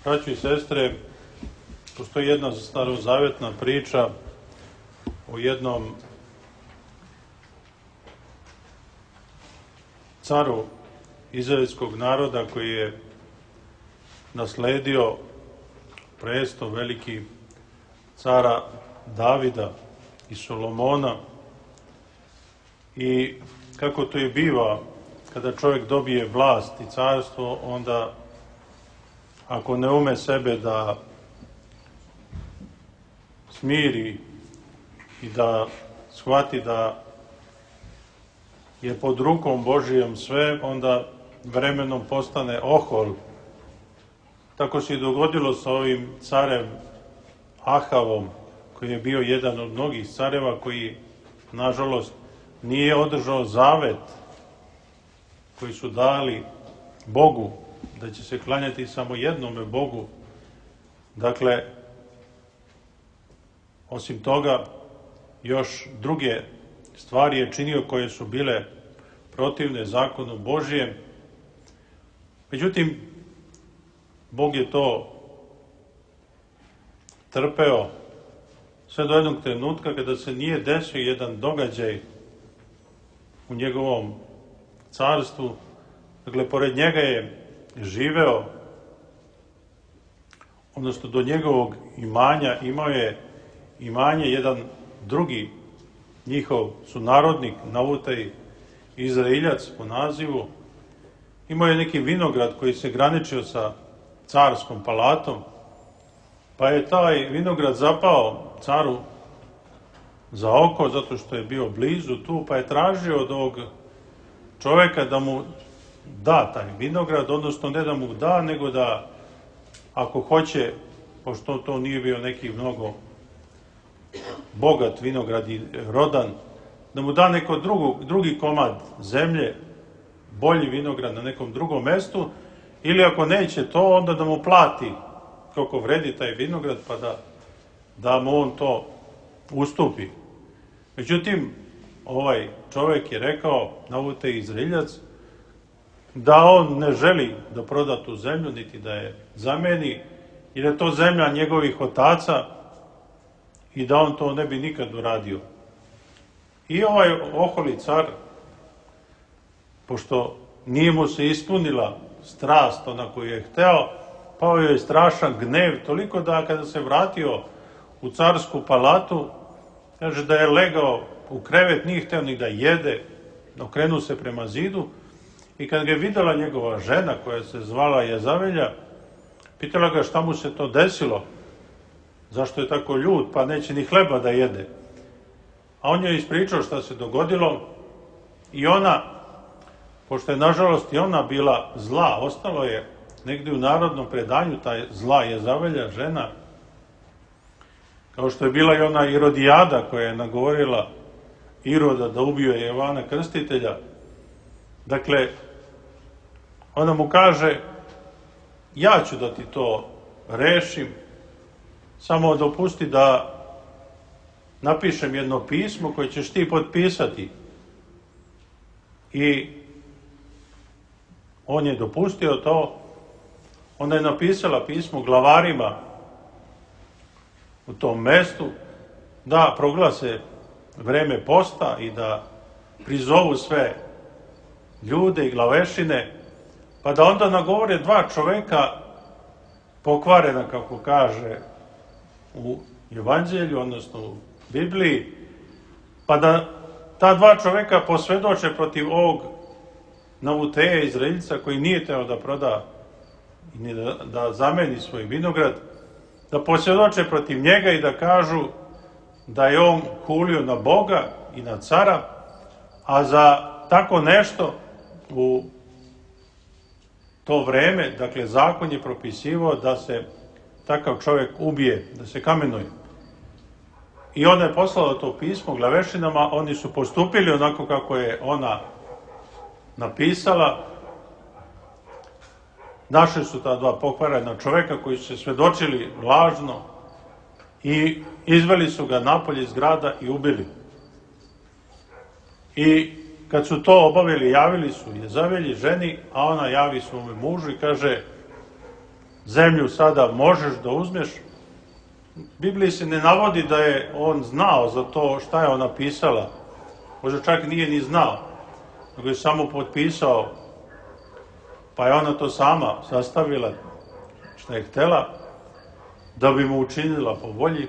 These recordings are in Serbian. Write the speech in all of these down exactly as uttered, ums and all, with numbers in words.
Braćo i sestre, postoji jedna starozavetna priča o jednom caru izraelskog naroda koji je nasledio presto veliki cara Davida i Solomona. I kako to i biva, kada čovjek dobije vlast i carstvo, onda ako ne ume sebe da smiri i da shvati da je pod rukom Božijom sve, onda vremenom postane ohol. Tako se i dogodilo sa ovim carem Ahavom, koji je bio jedan od mnogih careva koji, nažalost, nije održao zavet koji su dali Bogu, da će se klanjati samo jednome Bogu. Dakle, osim toga, još druge stvari je činio koje su bile protivne zakonu Božijem. Međutim, Bog je to trpeo sve do jednog trenutka kada se nije desio jedan događaj u njegovom carstvu. Dakle, pored njega je živeo, odnosno do njegovog imanja imao je imanje jedan drugi njihov sunarodnik, Navutaj Izraeljac po nazivu. Imao je neki vinograd koji se graničio sa carskom palatom, pa je taj vinograd zapao caru za oko, zato što je bio blizu tu, pa je tražio od ovog čoveka da mu da taj vinograd, odnosno ne da mu da, nego da, ako hoće, pošto to nije bio neki mnogo bogat vinograd i rodan, da mu da neko drugu, drugi komad zemlje, bolji vinograd na nekom drugom mestu, ili ako neće to, onda da mu plati koliko vredi taj vinograd, pa da, da mu on to ustupi. Međutim, ovaj čovjek je rekao, Navutaj Izraeljac, da on ne želi da proda tu zemlju, niti da je zameni, jer je to zemlja njegovih otaca i da on to ne bi nikad uradio. I ovaj oholi car, pošto nije mu se ispunila strast ona koju je hteo, pao je strašan gnev, toliko da kada se vratio u carsku palatu, kaže da je legao u krevet, nije hteo ni da jede, okrenuo se prema zidu, i kad ga je videla njegova žena, koja se zvala Jezavelja, pitala ga šta mu se to desilo, zašto je tako ljut, pa neće ni hleba da jede. A on je ispričao šta se dogodilo i ona, pošto je nažalost i ona bila zla, ostalo je negdje u narodnom predanju ta zla Jezavelja, žena, kao što je bila i ona Irodijada koja je nagovorila Iroda da ubije Jovana Krstitelja. Dakle, ona mu kaže, ja ću da ti to rešim, samo dopusti da napišem jedno pismo koje ćeš ti potpisati. I on je dopustio to. Onda je napisala pismo glavarima u tom mestu da proglase vreme posta i da prizovu sve ljude i glavešine, pa da onda nagovore dva čoveka pokvarena, kako kaže u Evanđelju, odnosno u Bibliji, pa da ta dva čoveka posvedoče protiv ovog Navuteja Izraeljica koji nije teo da proda i da, da zameni svoj vinograd, da posvjedoče protiv njega i da kažu da je on hulio na Boga i na cara, a za tako nešto u to vreme, dakle, zakon je propisivao da se takav čovjek ubije, da se kamenuje. I ona je poslala to pismo glavešinama, oni su postupili onako kako je ona napisala. Našli su ta dva pokvarena čovjeka koji su se svedočili lažno i izveli su ga napolje iz grada i ubili. I kad su to obavili, javili su Jezavelji, ženi, a ona javi svome mužu i kaže, zemlju sada možeš da uzmeš. Bibliji se ne navodi da je on znao za to šta je ona pisala. Možda čak nije ni znao, nego je samo potpisao, pa je ona to sama sastavila šta je htela, da bi mu učinila po volji.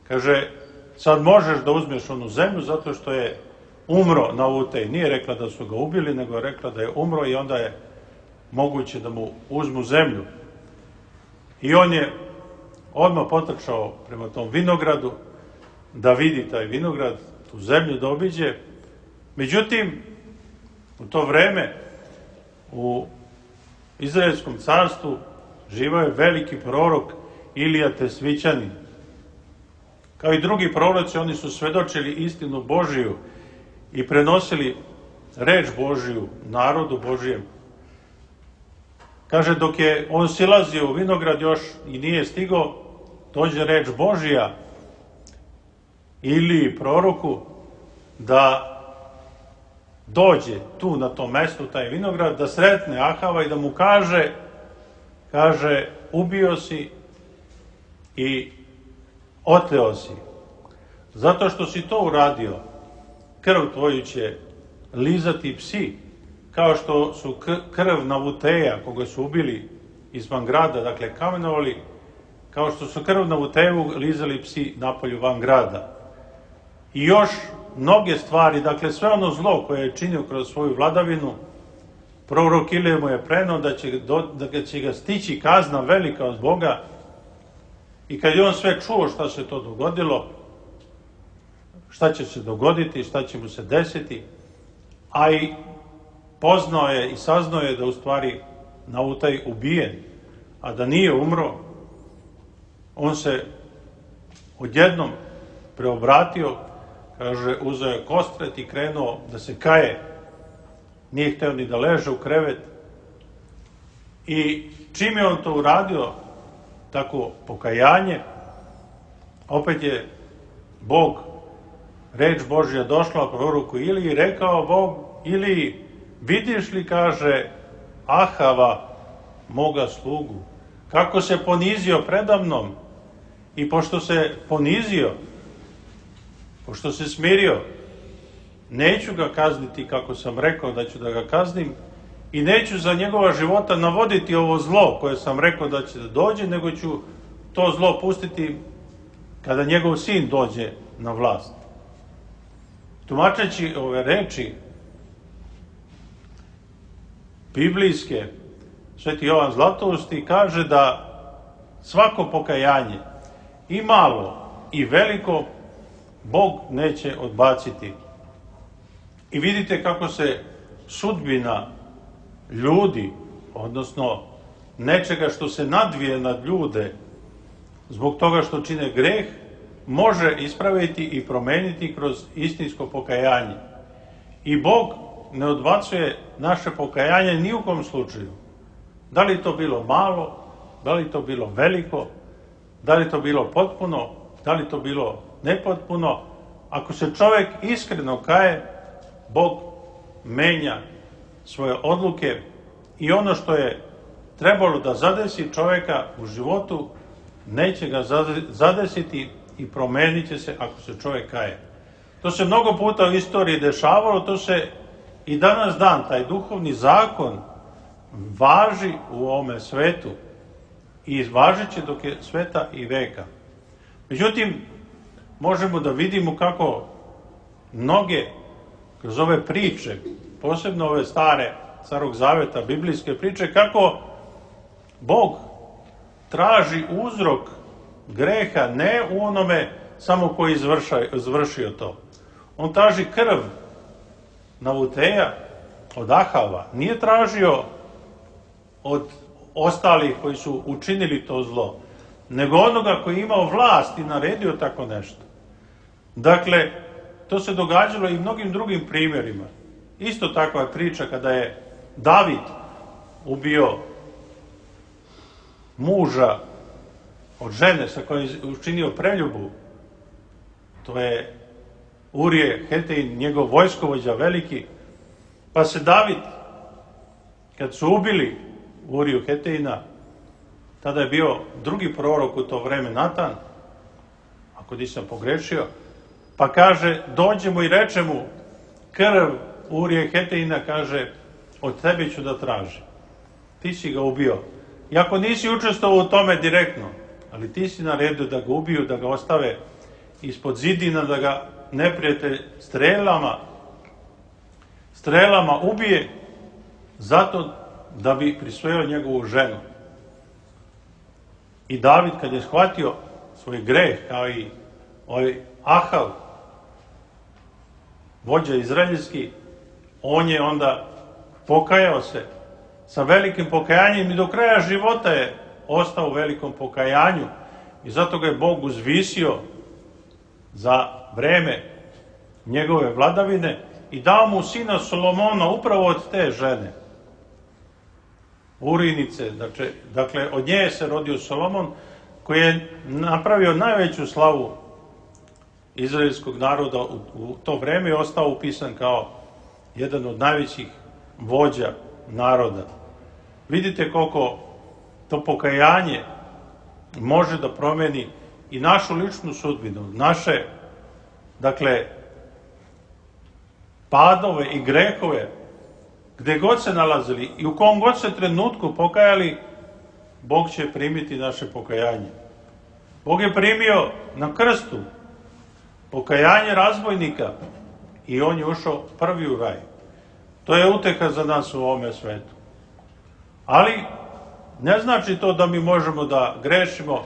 Kaže, sad možeš da uzmeš onu zemlju zato što je umro na Utej. Nije rekla da su ga ubili, nego je rekla da je umro i onda je moguće da mu uzmu zemlju. I on je odmah potrčao prema tom vinogradu, da vidi taj vinograd, tu zemlju da obiđe. Međutim, u to vreme u Izraelskom carstvu živao je veliki prorok Ilija Tesvićanin. Kao i drugi proroci, oni su svedočili istinu Božiju i prenosili reč Božiju narodu Božijem. Kaže, dok je on silazio u vinograd još i nije stigao, dođe reč Božija ili proroku da dođe tu na tom mestu, taj vinograd, da sretne Ahava i da mu kaže, kaže, ubio si i oteo si. Zato što si to uradio, krv tvoju će lizati psi, kao što su krv Navuteja, koga su ubili izvan grada, dakle kamenovali, kao što su krv Navuteju lizali psi napolju van grada. I još mnoge stvari, dakle sve ono zlo koje je činio kroz svoju vladavinu, prorok Ilija mu je preneo da će, do, da će ga stići kazna velika od Boga. I kad je on sve čuo šta se to dogodilo, šta će se dogoditi, šta će mu se desiti, a i poznao je i saznao je da u stvari Navutaj ubijen, a da nije umro, on se odjednom preobratio, kaže, uzeo je kostret i krenuo da se kaje. Nije hteo ni da leže u krevet. I čim je on to uradio, tako pokajanje, opet je Bog, reč Božja došla proroku Iliji i rekao Bog Iliji, vidiš li, kaže, Ahava, moga slugu, kako se ponizio predamnom, i pošto se ponizio, pošto se smirio, neću ga kazniti kako sam rekao da ću da ga kaznim i neću za njegova života navoditi ovo zlo koje sam rekao da će da dođe, nego ću to zlo pustiti kada njegov sin dođe na vlast. Tumačeći ove reči biblijske, Sveti Jovan Zlatousti kaže da svako pokajanje, i malo i veliko, Bog neće odbaciti. I vidite kako se sudbina ljudi, odnosno nečega što se nadvije nad ljude, zbog toga što čine greh, može ispraviti i promeniti kroz istinsko pokajanje. I Bog ne odbacuje naše pokajanje ni u kom slučaju. Da li to bilo malo, da li to bilo veliko, da li to bilo potpuno, da li to bilo nepotpuno. Ako se čovjek iskreno kaje, Bog menja svoje odluke i ono što je trebalo da zadesi čovjeka u životu, neće ga zadesiti i promenit će se ako se čovjek kaje. To se mnogo puta u istoriji dešavalo, to se i danas dan, taj duhovni zakon važi u ovome svetu i važit će dok je sveta i veka. Međutim, možemo da vidimo kako mnoge kroz ove priče, posebno ove stare Starog Zaveta, biblijske priče, kako Bog traži uzrok greha ne u onome samo koji je izvršio to. On traži krv Navuteja od Ahava. Nije tražio od ostalih koji su učinili to zlo, nego onoga koji je imao vlast i naredio tako nešto. Dakle, to se događalo i mnogim drugim primjerima. Isto takva je priča kada je David ubio muža od žene sa kojom je učinio preljubu. To je Urije Hetejin, njegov vojskovođa veliki. Pa se David, kad su ubili Uriju Hetejina, tada je bio drugi prorok u to vreme, Natan, ako nisam pogrešio, pa kaže, dođemo i reče mu, krv Urije Hetejina, kaže, od tebe ću da tražim. Ti si ga ubio. Iako nisi učestvovao u tome direktno, ali ti si naredio da ga ubiju, da ga ostave ispod zidina, da ga neprijatelj strelama, strelama ubije, zato da bi prisvojio njegovu ženu. I David, kad je shvatio svoj greh, kao i ovaj Ahav, vođa izraeljski, on je onda pokajao se sa velikim pokajanjem i do kraja života je ostao u velikom pokajanju i zato ga je Bog uzvisio za vreme njegove vladavine i dao mu sina Solomona upravo od te žene, Urinice. Dakle, dakle od nje se rodio Solomon, koji je napravio najveću slavu izraelskog naroda u, u to vreme i ostao upisan kao jedan od najvećih vođa naroda. Vidite koliko to pokajanje može da promeni i našu ličnu sudbinu, naše, dakle, padove i grehove, gde god se nalazili i u kom god se trenutku pokajali, Bog će primiti naše pokajanje. Bog je primio na krstu pokajanje razbojnika i on je ušao prvi u raj. To je uteha za nas u ovome svetu. Ali ne znači to da mi možemo da grešimo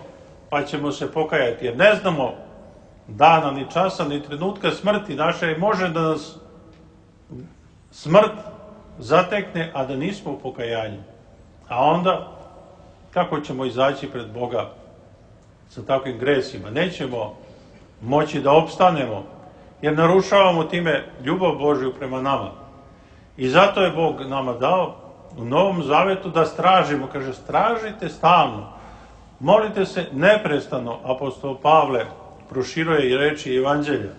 pa ćemo se pokajati, jer ne znamo dana, ni časa, ni trenutka smrti naše, može da nas smrt zatekne, a da nismo u pokajanju. A onda, kako ćemo izaći pred Boga sa takvim gresima? Nećemo moći da opstanemo, jer narušavamo time ljubav Božju prema nama. I zato je Bog nama dao u Novom Zavetu da stražimo. Kaže, stražite stalno, molite se neprestano. Apostol Pavle proširuje i reči Evanđelja.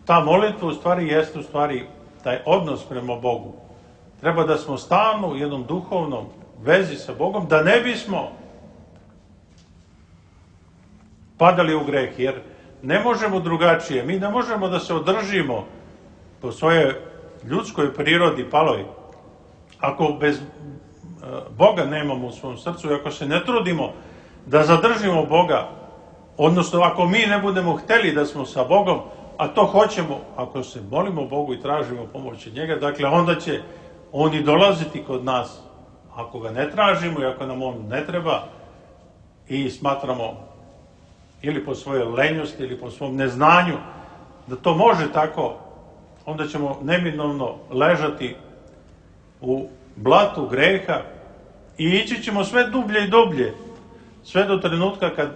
Ta molitva u stvari jeste u stvari taj odnos prema Bogu. Treba da smo stalno u jednom duhovnom vezi sa Bogom, da ne bismo padali u greh, jer ne možemo drugačije. Mi ne možemo da se održimo po svojoj ljudskoj prirodi paloj. Ako bez Boga nemamo u svom srcu i ako se ne trudimo da zadržimo Boga, odnosno ako mi ne budemo hteli da smo sa Bogom, a to hoćemo, ako se molimo Bogu i tražimo pomoć od njega, dakle onda će on i dolaziti kod nas. Ako ga ne tražimo i ako nam on ne treba i smatramo ili po svojoj lenjosti ili po svom neznanju da to može tako, onda ćemo neminovno ležati u blatu greha i ići ćemo sve dublje i dublje, sve do trenutka kad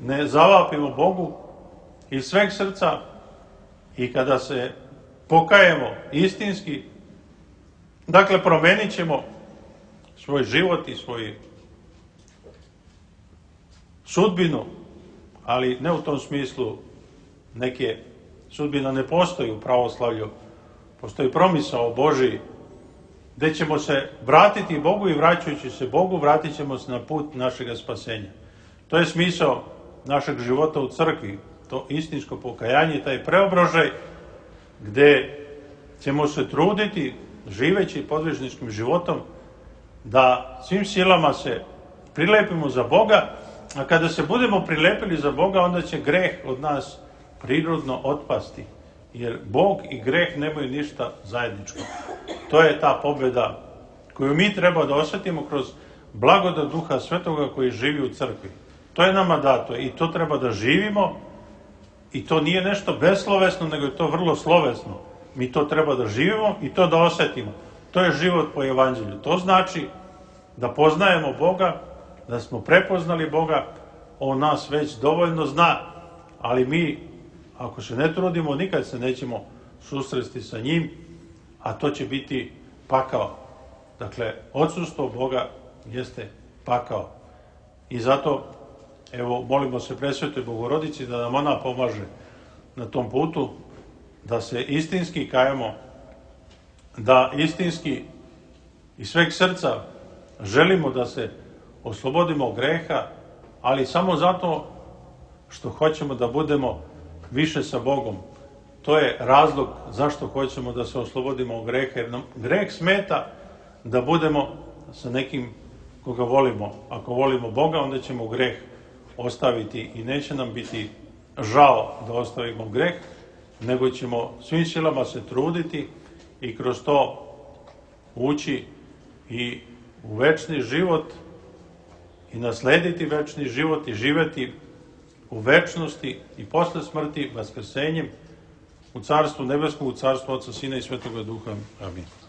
ne zavapimo Bogu iz sveg srca i kada se pokajemo istinski. Dakle, promenit ćemo svoj život i svoju sudbinu, ali ne u tom smislu neke sudbina ne postoji u pravoslavlju. Postoji promisao Božiji gde ćemo se vratiti Bogu i vraćajući se Bogu vratit ćemo se na put našeg spasenja. To je smisao našeg života u crkvi, to istinsko pokajanje, taj preobrožaj gde ćemo se truditi živeći podvižničkim životom da svim silama se prilepimo za Boga, a kada se budemo prilepili za Boga, onda će greh od nas prirodno otpasti, jer Bog i greh nemaju ništa zajedničko. To je ta pobjeda koju mi treba da osjetimo kroz blagodat Duha Svetoga koji živi u crkvi. To je nama dato i to treba da živimo i to nije nešto beslovesno, nego je to vrlo slovesno. Mi to treba da živimo i to da osjetimo. To je život po Evanđelju. To znači da poznajemo Boga, da smo prepoznali Boga, on nas već dovoljno zna, ali mi, ako se ne trudimo, nikad se nećemo susresti sa njim, a to će biti pakao. Dakle, odsustvo Boga jeste pakao. I zato, evo, molimo se Presvetoj Bogorodici da nam ona pomaže na tom putu, da se istinski kajemo, da istinski iz sveg srca želimo da se oslobodimo greha, ali samo zato što hoćemo da budemo više sa Bogom. To je razlog zašto hoćemo da se oslobodimo greha, jer nam greh smeta da budemo sa nekim koga volimo. Ako volimo Boga, onda ćemo greh ostaviti i neće nam biti žao da ostavimo greh, nego ćemo svim silama se truditi i kroz to ući i u večni život i naslediti večni život i živeti u večnosti i posle smrti vaskrsenjem u Carstvu nebeskom, u Carstvu Oca, Sina i Svetoga Duha. Amin.